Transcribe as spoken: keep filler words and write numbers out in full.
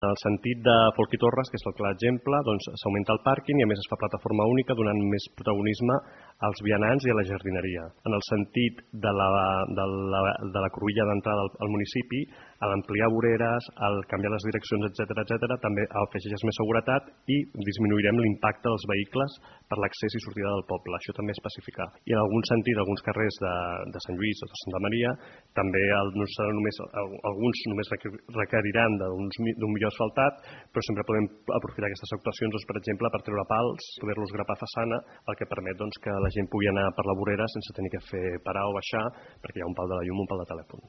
En el sentit de Folch i Torres, que és el clar exemple, doncs s'augmenta el pàrquing i a més es fa plataforma única donant més protagonisme als vianants i a la jardineria. En el sentit de la, de la, de la cruïlla d'entrada al, al municipi, a l'ampliar voreres, al canviar les direccions, etcètera, etcètera, també afegeix més seguretat i disminuirem l'impacte dels vehicles per l'accés i sortida del poble. Això també és pacificar. I en algun sentit, alguns carrers de, de Sant Lluís o de Santa Maria, també el, no serà només, alguns només requeriran d'un millor asfaltat, però sempre podem aprofitar aquestes actuacions, doncs, per exemple, per treure pals, poder-los grapar façana, el que permet doncs, que la gent pugui anar per la vorera sense tenir que fer parar o baixar, perquè hi ha un pal de la llum o un pal de telèfon.